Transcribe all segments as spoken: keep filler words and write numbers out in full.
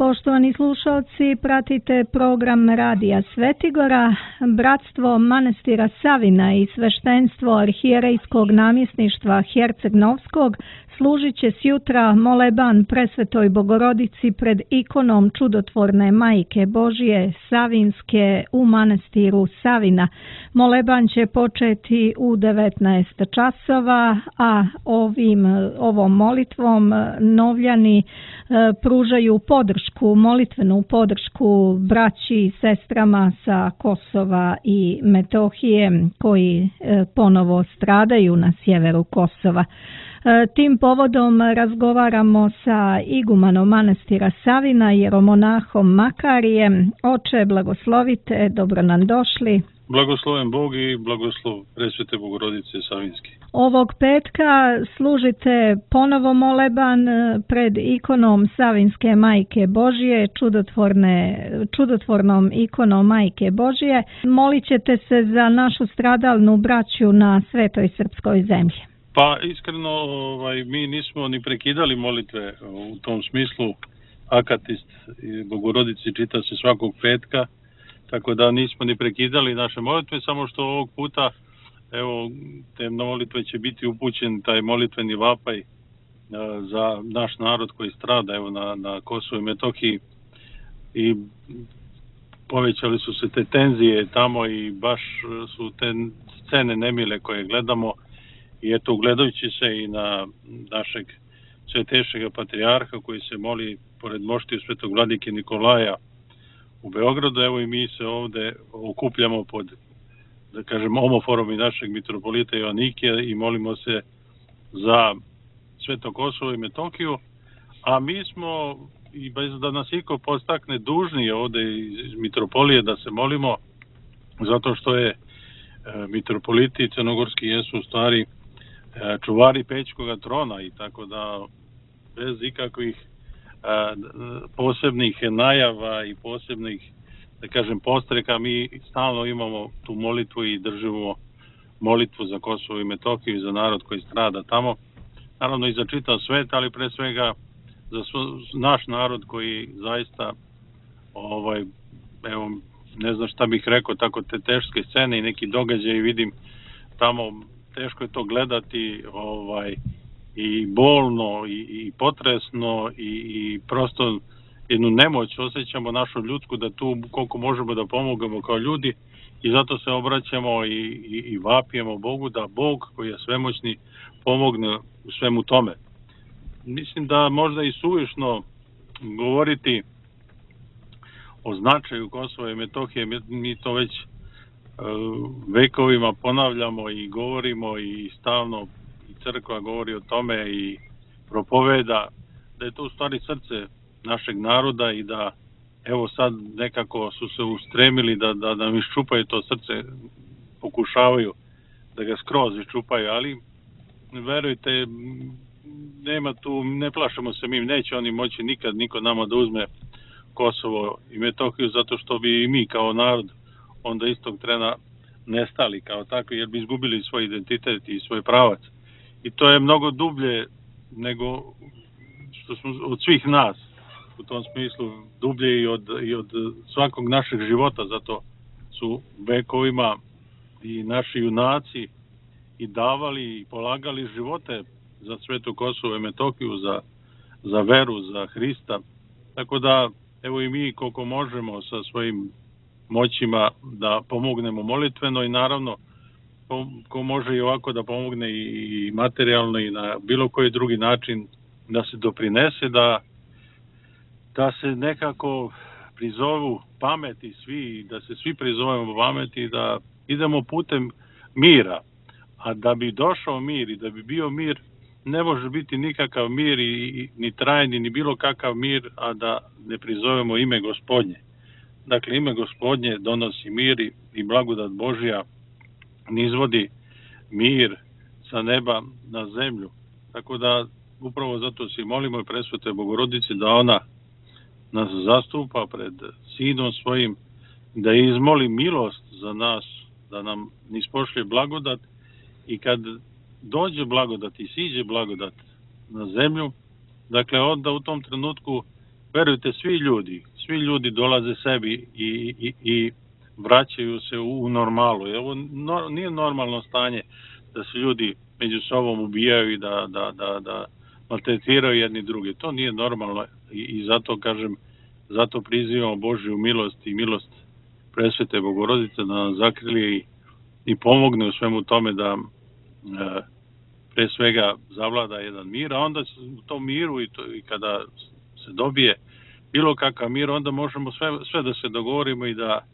Poštovani slušalci, pratite program Radija Svetigora. Bratstvo manastira Savina i sveštenstvo arhijerejskog namjesništva Herceg-Novskog služit će sjutra moleban Presvetoj Bogorodici pred ikonom čudotvorne Majke Božije Savinske u manastiru Savina. Moleban će početi u devetnaest časova, a ovim, ovom molitvom Novljani pružaju podršku, molitvenu podršku braći i sestrama sa Kosova i Metohije koji ponovo stradaju na sjeveru Kosova. Tim povodom razgovaramo sa igumanom manastira Savina, jeromonahom Makarijem. Oče, blagoslovite, dobro nam došli. Blagosloven Bog i blagoslov Presvete Bogorodice Savinske. Ovog petka služite ponovo moleban pred ikonom Savinske Majke Božije, čudotvorne, čudotvornom ikonom Majke Božije. Molit ćete se za našu stradalnu braću na svetoj srpskoj zemlji. Pa iskreno, ovaj, mi nismo ni prekidali molitve u tom smislu. Akatist i Bogorodici čita se svakog petka, tako da nismo ni prekidali naše molitve, samo što ovog puta, evo, te molitve će biti upućen taj molitveni vapaj za naš narod koji strada, evo, na, na Kosovu i Metohiji, i povećali su se te tenzije tamo i baš su te scene nemile koje gledamo. I eto, gledajući se i na našeg svetejšega patrijarha koji se moli pored moštiju svetog vladike Nikolaja u Beogradu, evo i mi se ovde okupljamo pod, da kažem, omoforom i našeg mitropolita Joanikija i molimo se za Sveto Kosovo i Metohiju, a mi smo, i bez da nas iko postakne, dužni ovde iz mitropolije da se molimo, zato što je mitropoliti crnogorski jesu u stvari čuvari Pećkoga trona, i tako da bez ikakvih a, posebnih najava i posebnih, da kažem, postreka mi stalno imamo tu molitvu i držimo molitvu za Kosovo i Metohiju i za narod koji strada tamo, naravno i za čitav svet, ali pre svega za svo, naš narod koji zaista, ovaj, evo, ne znam šta bih rekao, tako te teške scene i neki događaji vidim tamo. Teško je to gledati, ovaj, i bolno i, i potresno i, i prosto jednu nemoć osjećamo našu ljudsku da tu koliko možemo da pomognemo kao ljudi, i zato se obraćamo i, i, i vapijemo Bogu da Bog koji je svemoćni pomogne u svemu tome. Mislim da možda i suvišno govoriti o značaju Kosova i Metohije, mi, mi to već vekovima ponavljamo i govorimo i stalno i crkva govori o tome i propoveda da je to u stvari srce našeg naroda i da evo sad nekako su se ustremili da, da, da nam iščupaju to srce, pokušavaju da ga skroz iščupaju, ali verujte, nema tu, ne plašamo se mi, neće oni moći nikad niko nama da uzme Kosovo i Metohiju, zato što bi i mi kao narod onda istog trena nestali kao takvi, jer bi izgubili svoj identitet i svoj pravac. I to je mnogo dublje nego što smo od svih nas, u tom smislu dublje i od, i od svakog našeg života, zato su vekovima i naši junaci i davali i polagali živote za svetu Kosovo i Metohiju, za, za veru, za Hrista. Tako da, evo i mi koliko možemo sa svojim moćima da pomognemo molitveno, i naravno ko može i ovako da pomogne i materijalno i na bilo koji drugi način da se doprinese, da, da se nekako prizovu pameti svi, da se svi prizovemo pameti, da idemo putem mira. A da bi došao mir i da bi bio mir, ne može biti nikakav mir i, ni trajni, ni bilo kakav mir, a da ne prizovemo ime Gospodnje. Dakle, ime Gospodnje donosi mir i, i blagodat Božja nizvodi mir sa neba na zemlju. Tako da upravo zato se molimo i Presvetoj Bogorodici da ona nas zastupa pred Sinom svojim, da izmoli milost za nas, da nam nispošlje blagodat, i kad dođe blagodat i siđe blagodat na zemlju, dakle onda u tom trenutku verujte, svi ljudi, svi ljudi dolaze sebi i, i, i vraćaju se u, u normalu. Ovo no, nije normalno stanje da se ljudi među sobom ubijaju i da, da, da, da maltretiraju jedni drugi. To nije normalno i, i zato kažem, zato prizivamo Božju milost i milost Presvete Bogorodice da nam zakrili i, i pomogne u svemu tome da e, pre svega zavlada jedan mir, a onda u tom miru i, to, i kada se dobije bilo kakav mir, onda možemo sve, sve da se dogovorimo i da,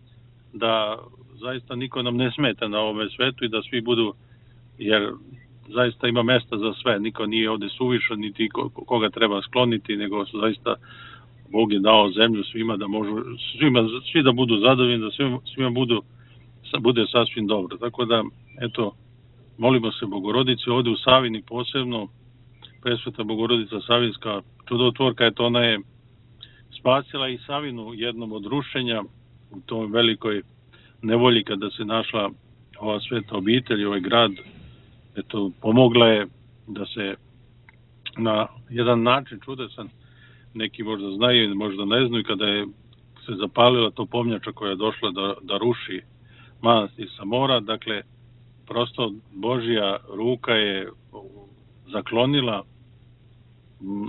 da zaista niko nam ne smeta na ovome svetu i da svi budu, jer zaista ima mesta za sve, niko nije ovde suvišan, niti koga treba skloniti, nego zaista Bog je dao zemlju svima da možu, svima, svi da budu zadovoljni, da svima, svima budu, bude sasvim dobro. Tako da, eto, molimo se Bogorodici, ovde u Savini posebno, Presveta Bogorodica Savinska čudotvorka, eto, ona je spasila i Savinu jednom od rušenja u toj velikoj nevolji kada se našla ova sveta obitelj, ovaj grad, eto, pomogla je da se na jedan način čudesan, neki možda znaju, možda ne znaju, kada je se zapalila to pomnjača koja je došla da, da ruši manastir sa mora, dakle, prosto Božja ruka je zaklonila,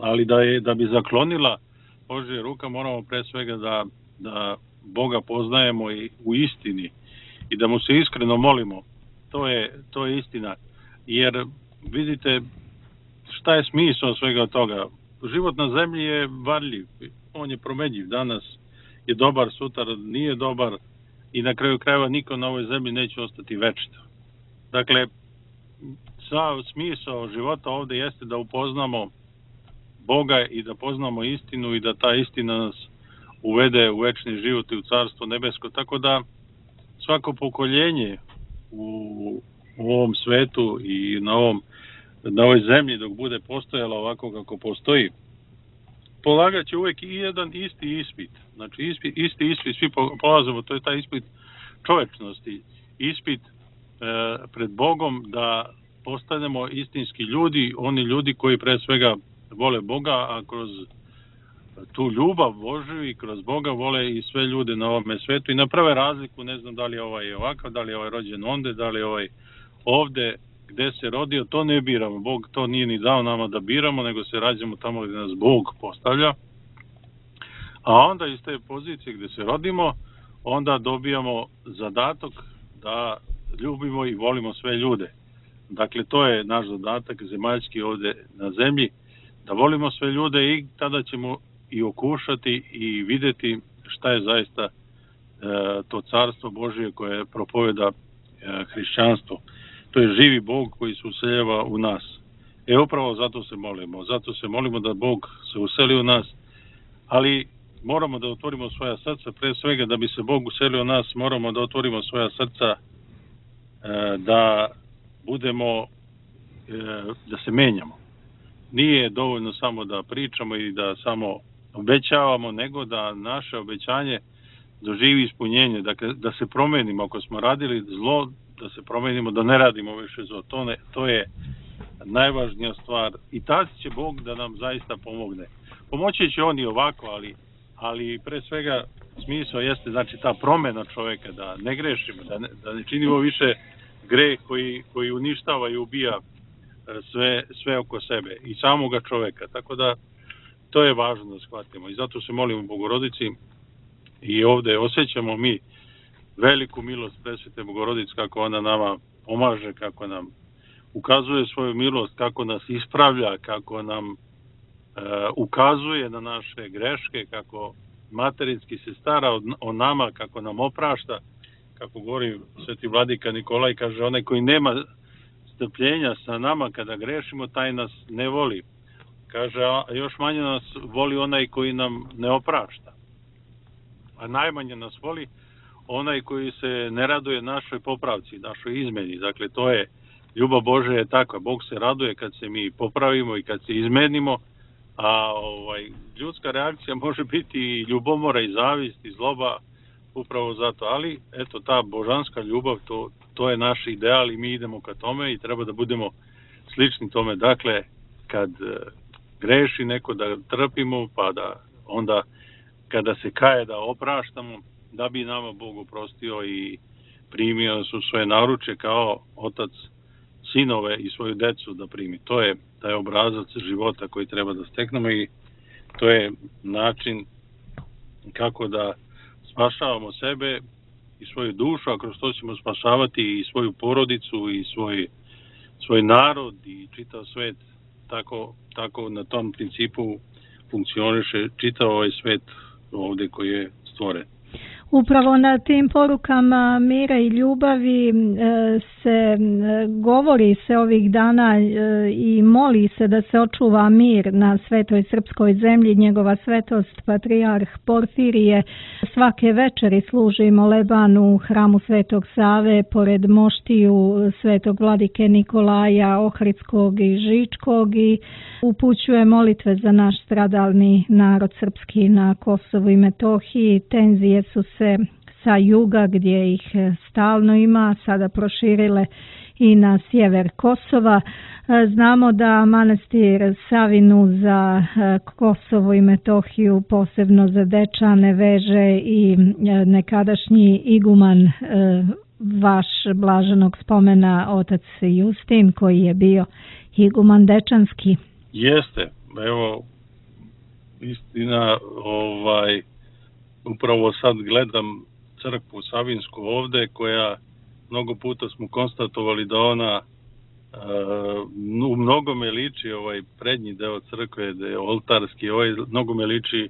ali da je da bi zaklonila Božja ruka moramo pre svega da, da Boga poznajemo i u istini i da mu se iskreno molimo. To je, to je istina. Jer vidite šta je smisao svega toga. Život na zemlji je varljiv, on je promenjiv, danas je dobar, sutra nije dobar i na kraju krajeva niko na ovoj zemlji neće ostati večito. Dakle, sav smisao života ovde jeste da upoznamo Boga i da poznamo istinu i da ta istina nas uvede u večni život i u Carstvo nebesko. Tako da svako pokoljenje u, u ovom svetu i na, ovom, na ovoj zemlji dok bude postojala ovako kako postoji, polagat će uvek i jedan isti ispit. Znači ispit, isti ispit, svi polazimo, to je taj ispit čovečnosti, ispit e, pred Bogom da postanemo istinski ljudi, oni ljudi koji pre svega vole Boga, a kroz tu ljubav Božju i kroz Boga vole i sve ljude na ovome svetu i naprave razliku, ne znam da li je ovaj ovakav, da li je ovaj rođen onde, da li je ovaj ovde, gde se rodio, to ne biramo. Bog to nije ni dao nama da biramo, nego se rađamo tamo gde nas Bog postavlja. A onda iz te pozicije gde se rodimo, onda dobijamo zadatak da ljubimo i volimo sve ljude. Dakle, to je naš zadatak zemaljski ovde na zemlji, da volimo sve ljude i tada ćemo i okušati i videti šta je zaista e, to carstvo Božije koje propoveda e, hrišćanstvo. To je živi Bog koji se useljava u nas. E upravo zato se molimo. Zato se molimo da Bog se useli u nas, ali moramo da otvorimo svoja srca. Pre svega da bi se Bog uselio u nas, moramo da otvorimo svoja srca e, da budemo, e, da se menjamo. Nije dovoljno samo da pričamo i da samo obećavamo, nego da naše obećanje doživi ispunjenje, dakle da se promenimo. Ako smo radili zlo, da se promenimo, da ne radimo više zlo. To, ne, to je najvažnija stvar i tad će Bog da nam zaista pomogne. Pomoći će on i ovako, ali, ali pre svega smisao jeste znači ta promena čoveka, da ne grešimo, da ne, da ne činimo više greh koji, koji uništava i ubija sve, sve oko sebe i samoga čoveka. Tako da to je važno da shvatimo i zato se molimo Bogorodici i ovde osjećamo mi veliku milost Presvete Bogorodice, kako ona nama pomaže, kako nam ukazuje svoju milost, kako nas ispravlja, kako nam e, ukazuje na naše greške, kako materinski se stara o, o nama, kako nam oprašta, kako govori Sveti Vladika Nikolaj, kaže onaj koji nema strpljenja sa nama kada grešimo, taj nas ne voli. Kaže, a još manje nas voli onaj koji nam ne oprašta. A najmanje nas voli onaj koji se ne raduje našoj popravci, našoj izmeni. Dakle, to je, ljubav Božja je takva. Bog se raduje kad se mi popravimo i kad se izmenimo, a ovaj, ljudska reakcija može biti i ljubomora i zavist i zloba, upravo zato. Ali, eto, ta božanska ljubav, to, to je naš ideal i mi idemo ka tome i treba da budemo slični tome. Dakle, kad greši neko, da trpimo, pa da onda kada se kaje da opraštamo, da bi nama Bog oprostio i primio su svoje naručje kao otac sinove i svoju decu da primi. To je taj obrazac života koji treba da steknemo i to je način kako da spašavamo sebe i svoju dušu, a kroz to ćemo spašavati i svoju porodicu i svoj, svoj narod i čitav svet. Tako, tako na tom principu funkcioniše čitav ovaj svet ovdje koji je stvoren. Upravo na tim porukama mira i ljubavi se govori se ovih dana i moli se da se očuva mir na svetoj srpskoj zemlji. Njegova svetost patrijarh Porfirije svake večeri služi moleban u hramu Svetog Save pored moštiju Svetog vladike Nikolaja Ohridskog i Žičkog i upućuje molitve za naš stradalni narod srpski na Kosovu i Metohiji. Tenzije su se sa juga gdje ih stalno ima sada proširile i na sjever Kosova. Znamo da manastir Savinu za Kosovo i Metohiju, posebno za Dečane, veže i nekadašnji iguman vaš blaženog spomena otac Justin, koji je bio iguman dečanski. Jeste, evo istina, ovaj upravo sad gledam crkvu Savinsku ovde, koja mnogo puta smo konstatovali da ona uh, u mnogome liči, ovaj prednji deo crkve, da je oltarski, ovaj mnogome liči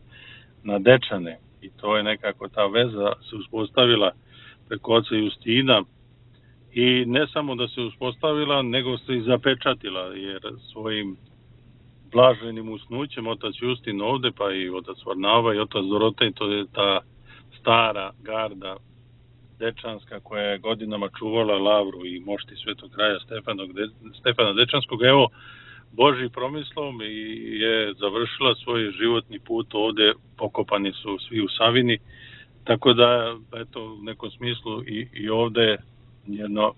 na Dečane. I to je nekako ta veza se uspostavila preko oca Justina. I ne samo da se uspostavila, nego se i zapečatila, jer svojim blaženim usnućem otac Justin ovde, pa i otac Varnava i otac Dorotej, to je ta stara garda dečanska koja je godinama čuvala lavru i mošti Svetog kraja Stefanog, Stefana Dečanskog. Evo, Božji promislom i je završila svoj životni put ovde, pokopani su svi u Savini, tako da, eto, u nekom smislu i, i ovde jedno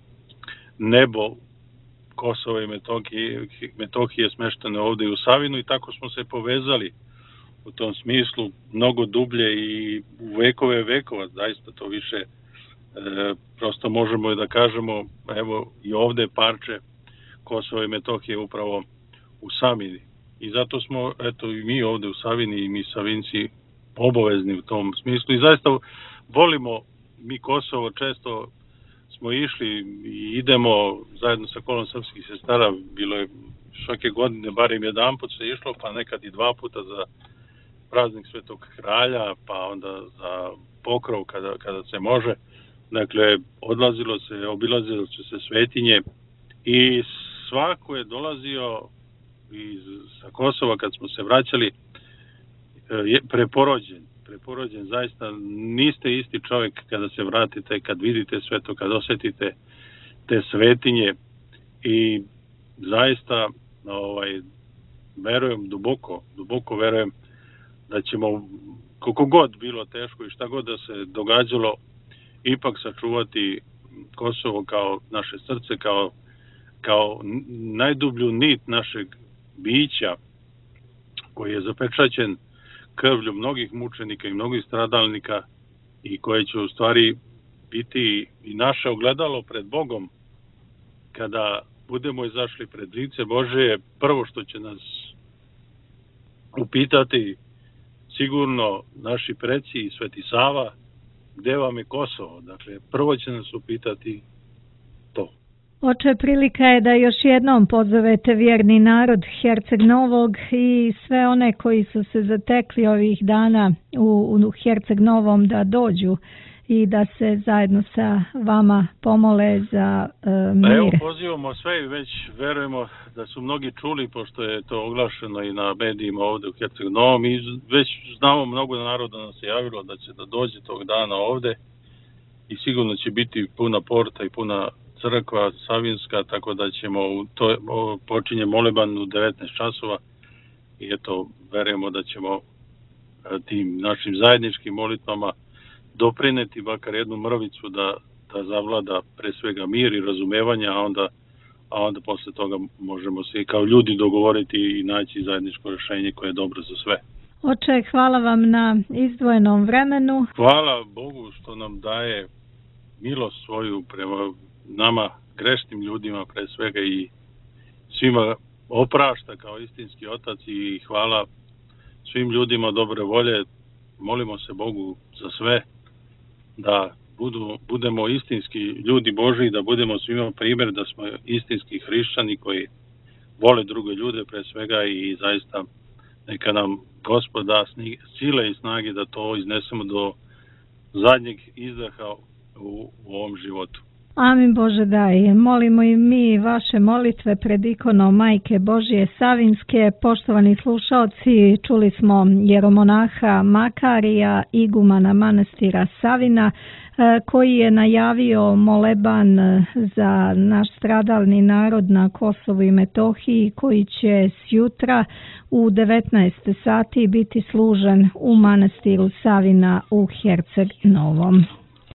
nebo Kosova i Metohije, Metohije smeštene ovde u Savinu i tako smo se povezali u tom smislu mnogo dublje i u vekove vekova, zaista to više e, prosto možemo da kažemo, evo i ovde parče Kosova i Metohije upravo u Savini. I zato smo, eto i mi ovde u Savini i mi Savinci obavezni u tom smislu i zaista volimo mi Kosovo, često smo išli i idemo zajedno sa kolom srpskih sestara, bilo je svake godine barem jedan put se išlo, pa nekad i dva puta za praznik Svetog kralja, pa onda za pokrov kada, kada se može. Dakle, odlazilo se, obilazilo se se svetinje i svako je dolazio iz, sa Kosova kad smo se vraćali je preporođen. preporođen, zaista niste isti čovjek kada se vratite, kad vidite sve to, kad osjetite te svetinje i zaista ovaj, verujem duboko, duboko verujem da ćemo, koliko god bilo teško i šta god da se događalo, ipak sačuvati Kosovo kao naše srce, kao, kao najdublju nit našeg bića koji je zapečaćen krvlju mnogih mučenika i mnogih stradalnika i koje će u stvari biti i naše ogledalo pred Bogom kada budemo izašli pred lice Božje. Prvo što će nas upitati sigurno naši preci i Sveti Sava, gde vam je Kosovo? Dakle, prvo će nas upitati to. Oče, prilika je da još jednom pozovete vjerni narod Herceg Novog i sve one koji su se zatekli ovih dana u, u Herceg Novom da dođu i da se zajedno sa vama pomole za uh, mir. Evo, pozivamo sve i već verujemo da su mnogi čuli, pošto je to oglašeno i na medijima ovde u Herceg Novom i već znamo mnogo naroda nas se javilo da će da dođe tog dana ovde i sigurno će biti puna porta i puna crkva Savinska, tako da ćemo to počinje moleban u devetnaest časova i eto verujemo da ćemo tim našim zajedničkim molitvama doprineti makar jednu mrvicu da, da zavlada pre svega mir i razumevanje, a onda, a onda posle toga možemo se i kao ljudi dogovoriti i naći zajedničko rešenje koje je dobro za sve. Oče, hvala vam na izdvojenom vremenu. Hvala Bogu što nam daje milost svoju prema nama, grešnim ljudima pre svega, i svima oprašta kao istinski otac, i hvala svim ljudima dobre volje. Molimo se Bogu za sve, da budu, budemo istinski ljudi Božji, da budemo svima primjer, da smo istinski hrišćani koji vole druge ljude pre svega, i zaista neka nam Gospod da sile i snage da to iznesemo do zadnjeg izdaha u, u ovom životu. Amin Bože daj. Molimo i mi vaše molitve pred ikonom Majke Božje Savinske. Poštovani slušaoci, čuli smo jeromonaha Makarija, igumana manastira Savina, koji je najavio moleban za naš stradalni narod na Kosovu i Metohiji, koji će sjutra u devetnaest sati biti služen u manastiru Savina u Herceg Novom.